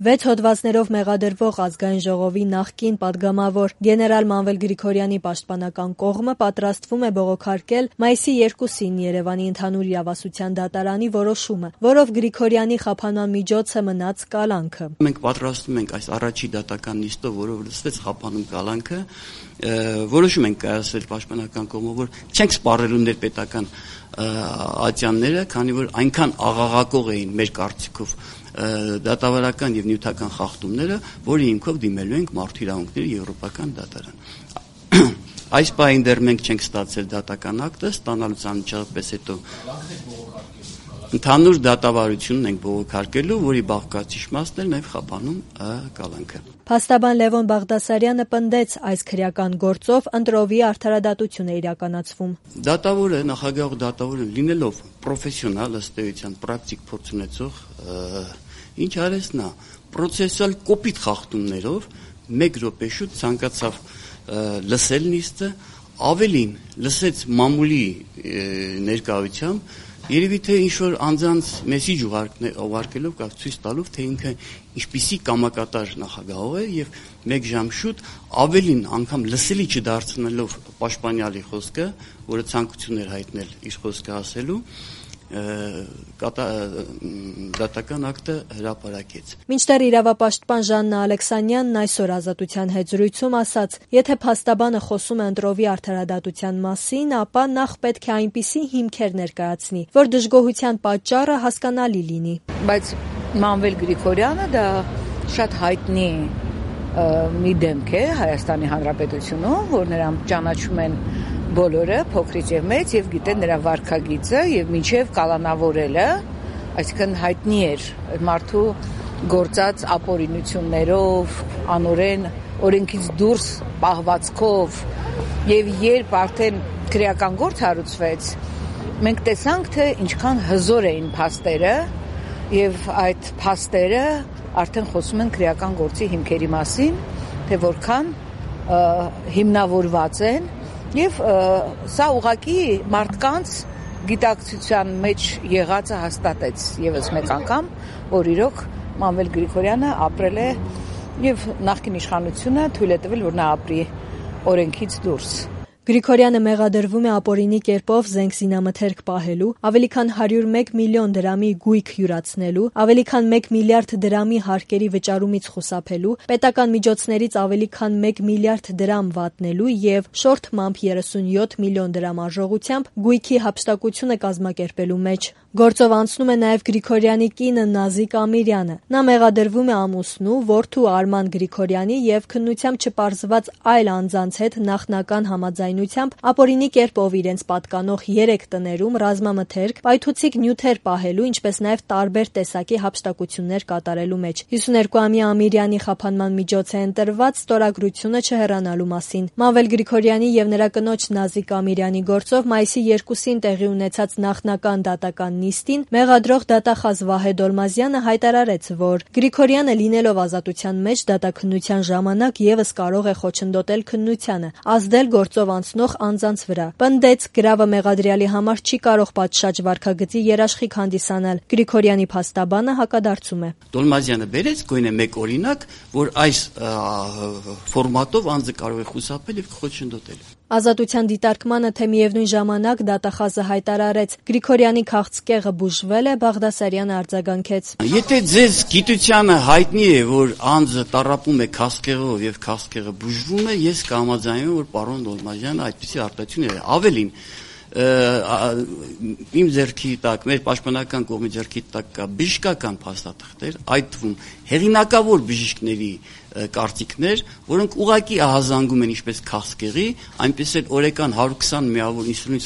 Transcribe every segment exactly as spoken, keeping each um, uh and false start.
Վեց հոդվածներով մեղադրվող ազգային ժողովի նախկին падգամավոր գեներալ Մանվել Գրիգորյանի պաշտպանական կողմը պատրաստվում է բողոքարկել մայիսի երկուսին Երևանի ընդհանուր իրավասության դատարանի որոշումը, որով Գրիգորյանի խափանման միջոցը մնաց կալանքը։ Մենք պատրաստվում ենք այս առաջի դատական նիստով, որով լսվեց խափանում կալանքը, որոշում ենք կայացրել պաշտպանական կողմով, որ չենք սպառելու ներպետական ատյանները, քանի որ այնքան աղաղակող էին մեր կարծիքով դատավարական եւ նյութական խախտումները, որի հիմքով դիմելու ենք մարդու իրավունքների եվրոպական դատարան։ Այս պահին դեռ մենք չենք ստացել դատական ակտը, ստանալուց անմիջապես հետո ընդհանուր դատավարությունն ենք բողոքարկելու, որի բաղկացիչ մասն է նաեւ խափանում կալանքը։ Փաստաբան Լևոն Բաղդասարյանը պնդեց, այս քրեական գործով ընտրովի արդարադատություն է իրականացվում։ Դատավորը, նախագահող դատավորը լինելով պրոֆեսիոնալ, ըստ էության պրակտիկ փորձ ունեցող, ինչ արեց նա, պրոցեսուալ կոպիտ խախտումներով մեկ րոպե շուտ ցանկացավ լսել նիստը, ավելին լսեց մամուլի ներկայությամբ, երևի թե ինչ-որ անձանց մեսիջ ուղարկելով կամ ցույց տալով, թե ինքը ինչպիսի կամակատար նախագահող է եւ մեկ ժամ շուտ ավելին անգամ լսելի չդարձնելով պաշտպանյալի խոսքը, որը ցանկություն էր հայտնել իր խոսքը ասելու, դատական ակտը հրապարակեց։ Մինչդեռ իրավապաշտպան Ժաննա Ալեքսանյանն այսօր Ազատության հետ զրույցում ասաց, եթե փաստաբանը խոսում է ընտրովի արդարադատության մասին, ապա նախ պետք է այնպիսի հիմքեր ներկայացնի, որ դժգոհության պատճառը հասկանալի լինի։ Բայց Մանվել Գրիգորյանը դա շատ հայտնի մի դեմք է Հայաստանի Հանրապետությունում, որ նրան ճանաչում են բոլորը, փոքրից եւ մեծ, եւ գիտեն նրա վարքագիծը եւ մինչեւ կալանավորելը, այսինքն հայտնի էր մարդու գործած ապօրինություններով, անօրեն օրենքից դուրս պահվածքով, եւ երբ արդեն քրեական գործ հարուցվեց, մենք տեսանք, թե ինչքան հզոր էին փաստերը, եւ այդ փաստերը արդեն խոսում են քրեական գործի հիմքերի մասին, թե որքան հիմնավորված են. Եվ սա ուղղակի մարդկանց գիտակցության մեջ եղածը հաստատեց եւս մեկ անգամ, որ իրոք Մանվել Գրիգորյանը ապրել է եւ նախկին իշխանությունը թույլ է տվել, որ նա ապրի օրենքից դուրս։ Գրիգորյանը մեղադրվում է ապօրինի կերպով զենք զինամթերք պահելու, ավելի քան հարյուր մեկ միլիոն դրամի գույք յուրացնելու, ավելի քան մեկ միլիարդ դրամի հարկերի վճարումից խուսափելու, պետական միջոցներից ավելի քան մեկ միլիարդ դրամ վատնելու եւ շորթ մամբ երեսունյոթ միլիոն դրամ արժողությամբ գույքի հափշտակությունը կազմակերպելու մեջ։ Գործով անցնում է նաեւ Գրիգորյանի կինը Նազիկ Ամիրյանը։ Նա մեղադրվում է ամուսնու, որդու Արման Գրիգորյանի եւ քննությամբ չպարզված այլ անձանց հետ նախնական համաձայնությամբ ապօրինի կերպով իրենց պատկանող երեք տներում ռազմամթերք, պայթուցիկ նյութեր պահելու, ինչպես նաեւ տարբեր տեսակի հափշտակություններ կատարելու մեջ։ հիսուներկուամյա Ամիրյանի խափանման միջոց է ընտրված ստորագրությունը չհեռանալու մասին։ Մանվել Գրիգորյանի եւ նրա կնոջ Նազիկ Ամիրյանի գործով մայիսի երկուսին տեղի ունեցած նախնական դատական նիստին մեղադրող դատախազ Վահե Դոլմազյանը հայտարարեց, որ Գրիգորյանը լինելով ազատության մեջ դատաքննության ժամանակ եւս կարող է խոչընդոտել քննությանը, ազդել գործով անցնող անձանց վրա։ Պնդեց, գրավը մեղադրյալի համար չի կարող պատշաճ վարքագծի երաշխիք հանդիսանալ։ Գրիգորյանի փաստաբանը հակադարձում է։ Դոլմազյանը բերեց գույնը մեկ օրինակ, որ այս ֆորմատով անձը կարող է խուսափել եւ խոչընդոտել։ Ազատության դիտարկմանը, թե միևնույն ժամանակ դատախազը հայտարարեց Գրիգորյանի քաղցկեղը բուժվել է, Բաղդասարյանը արձագանքեց. Եթե ձեզ գիտությանը հայտնի է, որ անձը տառապում է քաղցկեղով եւ քաղցկեղը բուժվում է, ես կհամաձայնեմ, որ պարոն Դոլմազյանը այդպիսի արտահայտություն է։ Ավելին, իմ ձեռքի տակ, մեր պաշտպանական կողմի ձեռքի տակ կա բժշկական փաստաթղթեր, այդ թվում հեղինակավոր բժիշկների կարծիքներ, որոնք ուղղակի ահազանգում են ինչպես քաղցկեղի, այնպես էլ օրական հարյուր քսան միավոր ինսուլին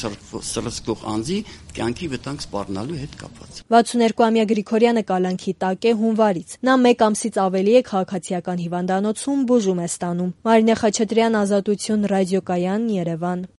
սրսկող անձի կյանքի վտանգ սպառնալու հետ կապված։ վաթսուներկուամյա Գրիգորյանը կալանքի տակ է հունվարից։ Նա մեկ ամսից ավելի է քաղաքացիական հիվանդանոցում բուժում է ստանում։ Մարինե Խաչատրյան, Ազատություն, ռադիոկայան, Երևան։